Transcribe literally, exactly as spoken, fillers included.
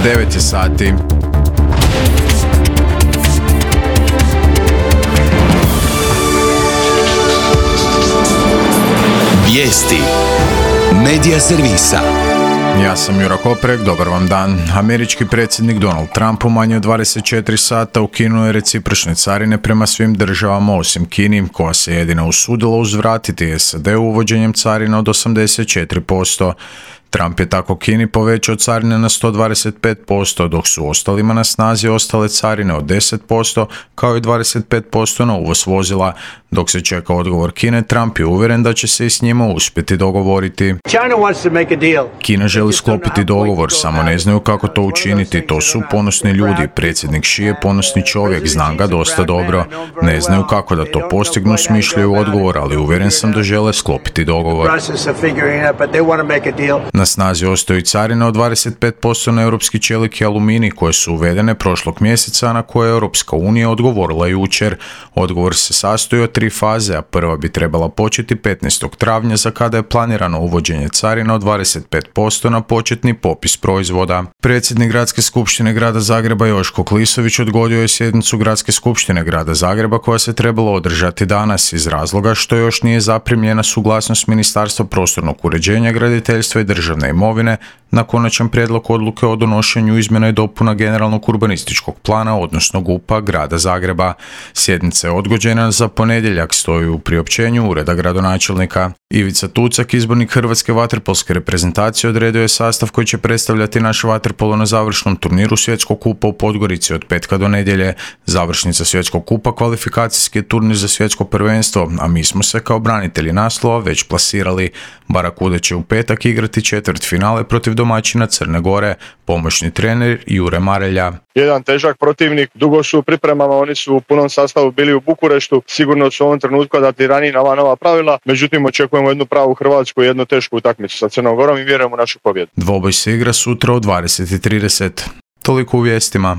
devet je sati. Vijesti Medija servisa. Ja sam Jura Koprek, dobar vam dan. Američki predsjednik Donald Trump u manje od dvadeset četiri sata ukinuo je recipročne carine prema svim državama osim Kini, koja se jedina usudila uzvratiti S A D-u uvođenjem carina od osamdeset četiri posto. Trump je tako Kini povećao carine na sto dvadeset pet posto, dok su ostalima na snazi ostale carine od deset posto, kao i dvadeset pet posto na uvoz vozila. Dok se čeka odgovor Kine, Trump je uvjeren da će se i s njima uspjeti dogovoriti. Kina želi sklopiti dogovor, samo ne znaju kako to učiniti. To su ponosni ljudi. Predsjednik Xi je ponosni čovjek, znam ga dosta dobro. Ne znaju kako da to postignu, smišljaju odgovor, ali uvjeren sam da žele sklopiti dogovor. Na snazi ostaju carine od dvadeset pet posto na europski čelik i aluminij koje su uvedene prošlog mjeseca, na koje je Europska unija odgovorila jučer. Odgovor se sastoji od tri faze, a prva bi trebala početi petnaestog travnja, za kada je planirano uvođenje carina od dvadeset pet posto na početni popis proizvoda. Predsjednik Gradske skupštine Grada Zagreba Joško Klisović odgodio je sjednicu Gradske skupštine Grada Zagreba koja se trebala održati danas iz razloga što još nije zaprimljena suglasnost Ministarstva prostornog uređenja, graditeljstva i državne imovine na konačan prijedlog odluke o donošenju izmjena i dopuna generalnog urbanističkog plana, odnosno G U P-a Grada Zagreba. Sjednica je odgođena za ponedjeljak, stoji u priopćenju Ureda gradonačelnika. Ivica Tucak, izbornik hrvatske vaterpolske reprezentacije, odredio je sastav koji će predstavljati naše vaterpolo na završnom turniru Svjetskog kupa u Podgorici od petka do nedjelje. Završnica Svjetskog kupa kvalifikacijski je turnir za svjetsko prvenstvo, a mi smo se kao branitelji naslova već plasirali. Barakude će u petak igrati četvrt finale protiv domaćina Crne Gore, pomoćni trener Jure Marelja. Jedan težak protivnik, dugo su u pripremama, oni su u punom sastavu bili u Bukureštu, sigurno su u ovom trenutku adaptirani na ova nova pravila, međutim očekujemo jednu pravu Hrvatsku i jednu tešku utakmicu sa Crnom Gorom i vjerujemo u našu pobjedu. Dvoboj se igra sutra u dvadeset i trideset. Toliko u vijestima.